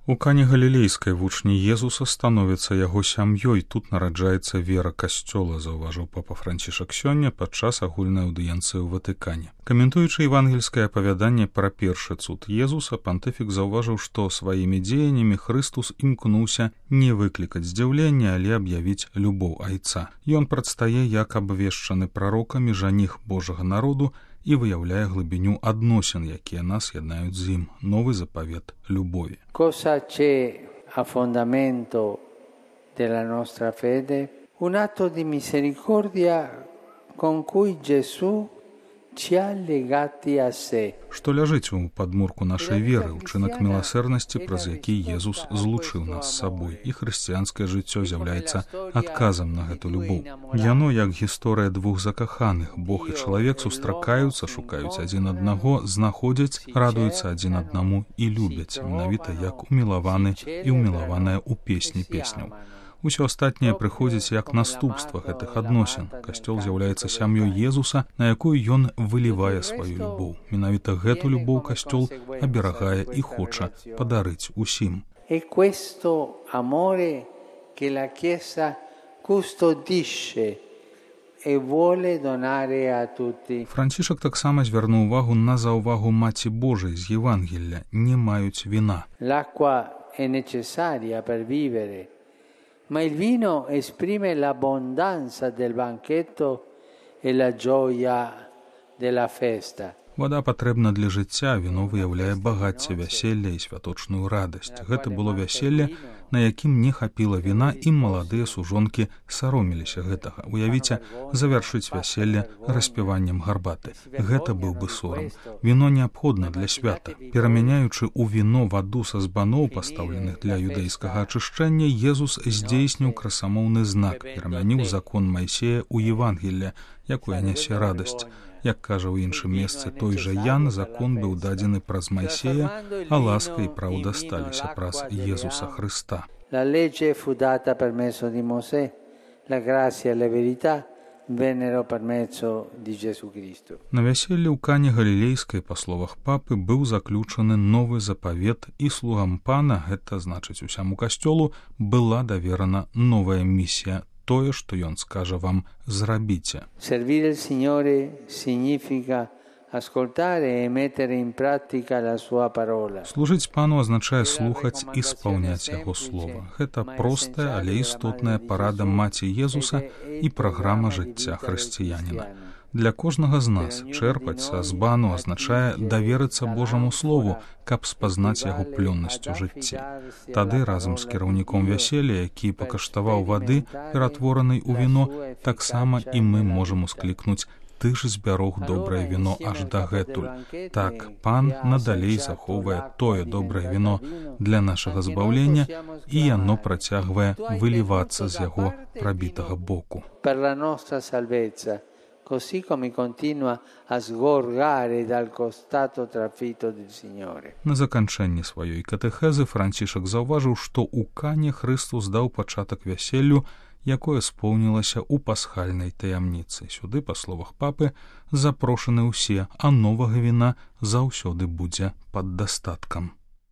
У Кані Галілейскай вучні Езуса становяцца яго сям'ёй. Тут нараджаецца вера касцёла, заўважыў папа Францішак сёння падчас агульнай аўдыенцыі ў Ватыкане. Каментуючы евангельскае апавяданне пра першы цуд Езуса, пантыфік заўважыў, што сваімі дзеяннямі Хрыстус імкнуўся не выклікаць здзіўлення, але аб'явіць любоў айца. Ён прадстае як абвешчаны прарокамі жаніх Божага народу і выяўляе глыбіню адносін, якія нас яднаюць з ім. Новы запавет любові. Cosa c'è a fondamento della nostra fede? Un atto di misericordia con cui Gesù ci ha legati a sé. Што ляжыць у падмурку нашай веры, учынак міласэрнасці, праз які Езус злучыў нас з сабой, і хрысціянскае жыццё з'яўляецца адказам на гэту любоў. Яно як гісторыя двух закаханых. Бог і чалавек сустракаюцца, шукаюць адзін аднаго, знаходзяць, радуюцца адзін аднаму і любяць, менавіта як умілаваны і умілаваная ў песні песняў. Усё астатняе прыходзіць як наступства гэтых адносін. Касцёл з'яўляецца сям'ёй Езуса, на якую ён вылівае сваю любоў. Менавіта гэту любоў касцёл аберагае і хоча падарыць усім. E questo amore che la Chiesa custodisce e vuole donare a tutti. Францішак таксама звярнуў увагу на заўвагу Маці Божай з Євангелля: не маюць віна. L'acqua è necessaria per vivere. Ma il vino esprime l'abbondanza del banchetto e la gioia della festa. Вада патрэбна для жыцця, віно выяўляе багацце вяселля і святочную радасць. Гэта было вяселле, на якім не хапіла віна, і маладыя сужонкі сароміліся гэтага. Уявіце, завяршыць вяселле распіваннем гарбаты. Гэта быў бы сорам. Віно неабходна для свята. Перамяняючы ў віно ваду са збаноў, пастаўленых для юдэйскага ачышчэння, Езус здзейсніў красамоўны знак, перамяніў закон Майсея ў Евангелле, якое нясе радасць. Як кажа ў іншым месцы той жа Ян, закон быў дадзены праз Майсея, а ласка і праўда сталіся праз Езуса Хрыста. La legge fu data per mezzo di Mosè, la grazia e la verità vennero per mezzo di Gesù Cristo. На вяселле ў Кані Галілейскай, па словах папы, быў заключаны новы запавет, і слугам пана, гэта значыць усяму касцёлу, была даверана новая місія. Тое, што ён скажа вам, зрабіце. Servire il Signore significa ascoltare e mettere in pratica la sua parola. Служыць пану азначае слухаць і спаўняць яго слова. Гэта простая, але істотная парада Маці Езуса і праграма жыцця хрысціяніна. Для кожнага з нас чэрпаць са збану азначае даверыцца Божаму Слову, каб спазнаць яго плённасць у жыцці. Тады разам з кіраўніком вяселля, які пакаштаваў вады, ператворанай у віно, таксама і мы можам усклікнуць: ты ж збярог добрае віно аж дагэтуль. Так, пан надалей захоўвае тое добрае віно для нашага збаўлення, і яно працягвае вылівацца з яго прабітага боку. Per la nostra salvezza, così come continua a sgorgare dal costato trafitto del Signore. На заканчэнні сваёй катэхезы Францішак заўважыў, што ў Кане Хрыстус даў пачатак вяселлю, якое споўнілася ў пасхальнай таямніцы. Сюды, па словах папы, запрошаны ўсе, а новага віна заўсёды будзе пад дастаткам.